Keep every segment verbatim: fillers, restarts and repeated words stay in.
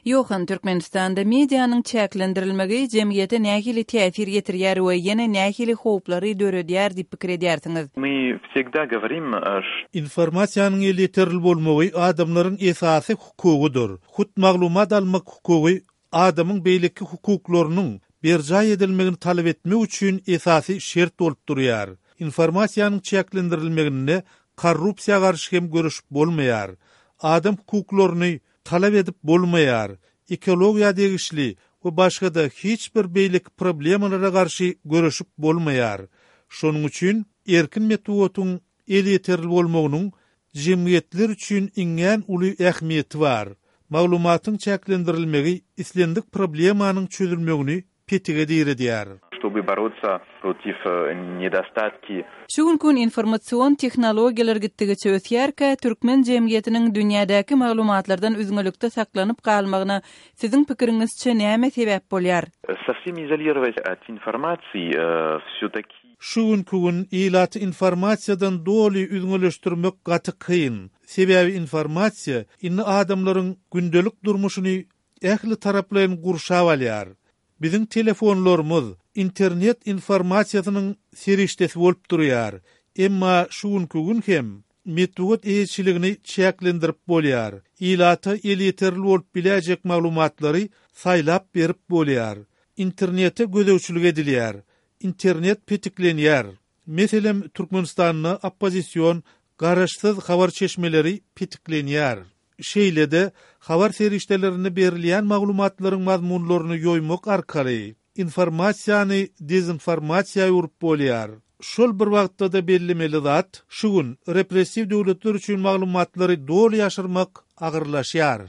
Ýohan, Türkmenistanda medianyň çäklendirilmegi jemgyýete nähili täsir ýetirýär we ýene nähili howplary döredýär diýip pikir edýärsiňiz? Мы всегда говорим, Informasiýanyň elýeterli bolmagy adamlaryň esasy hukugydyr. Hut maglumat almak hukugy adamyň beýleki hukuklarynyň berjaý edilmegini talap etmek üçin esasy şert bolup durýar. Informasiýanyň çäklendirilmeginde korrupsiýa garşy hem göreşip bolmaýar. Adam hukuklaryny talap edip bolmaýar. Ekologiýa degişli we başga-da hiç bir beýleki problemalara garşy göreşip bolmaýar. Şonuň üçin erkin metbugatyň elýeterli bolmagynyň jemgyýetler üçin iňňän uly ähmiýeti bar. Maglumatyň çäklendirilmegi islendik problemanyň çözülmegini petige diredýär. Чтобы бороться против недостатки. Şu günki gün informasion tehnologiýalar gitdigiçe ösýärkä, türkmen jemgyýetiniň dünýädäki maglumatlardan üzňelikde saklanyp galmagyna siziň pikiriňizçe näme sebäp bolýar? Совсем изолировать от информации все-таки Şu günki gün ilaty informasiýadan doly üzňeleşdirmek gaty kyn. Sebäbi informasiýa indi adamlaryň gündelik durmuşyny ähli taraplaýyn gurşap alýar. Biziň telefonlarymyz internet informasiýasynyň serişdesi bolup durýar. Emma şu günki gün hem metbugat eýeçiligini çäklendirip bolýar. Ilata elýeterli bolup biläýjek maglumatlary saýlap berip bolýar. Internete gözegçilik edilýär. Internet petiklenýär. Meselem, Türkmenistanda oppozision garaşsyz habar çeşmeleri petiklenýär. Şeýle-de habar serişdelerine berilýän maglumatlaryň mazmunlaryny ýoýmak arkaly informasiýany dezinformasiýa öwrüp bolýar. Şol bir wagtda da bellemeli zat, şu gün repressiw döwletler üçin maglumatlary doly ýaşyrmak agyrlaşýar.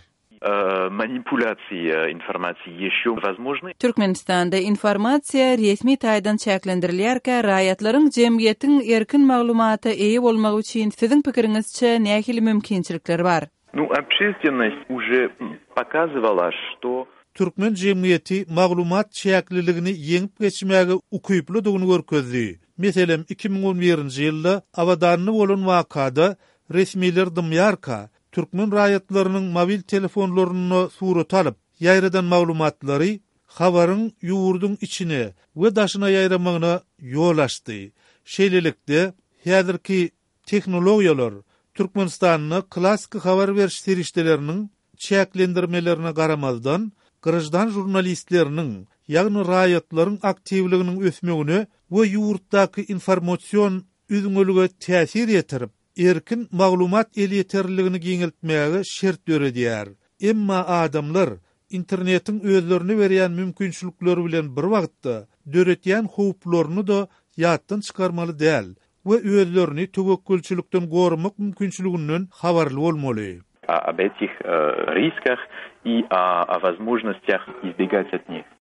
Manipulasiýa informasiýa еще возможны. Türkmenistanda informasiýa resmi taýdan çäklendirilýärkä, raýatlaryň jemgyýetiň erkin maglumata eýe bolmagy üçin siziň pikiriňizçe nähili mümkinçilikler bar? Ну, общественность уже показывала, что Türkmen jemgyýeti maglumat çäkliligini ýeňip geçmäge ukyplydygyny görkezdi. Meselem, iki müň on birinji ýylda Abadanly bolan wakada resmiler dymýarka, türkmen raýatlarynyň mobil telefonlaryny surat alyp, ýaýradan maglumatlary habaryň ýurduň içine we daşyna ýaýramagyna ýol açdy. Şeýlelikde, häzirki tehnologiýalar Türkmenistanda klassik habar beriş serişdeleriniň çäklendirmelerine garamazdan, grajdan jurnalistleriniň, ýagny raýatlaryň aktiwliginiň ösmegine we ýurtdaky informasion üzňelige täsir ýetirip, erkin maglumat elýeterliligini giňeltmäge şert döredýär. Emma adamlar internetiň özlerine berýän mümkinçilikleri bilen bir wagtda döretýän howplaryny da ýatdan çykarmaly däl we özlerini töwekgelçilikden goramak mümkinçiliginden habarly bolmaly. Об этих riskах и о, о возможностях избегать от них.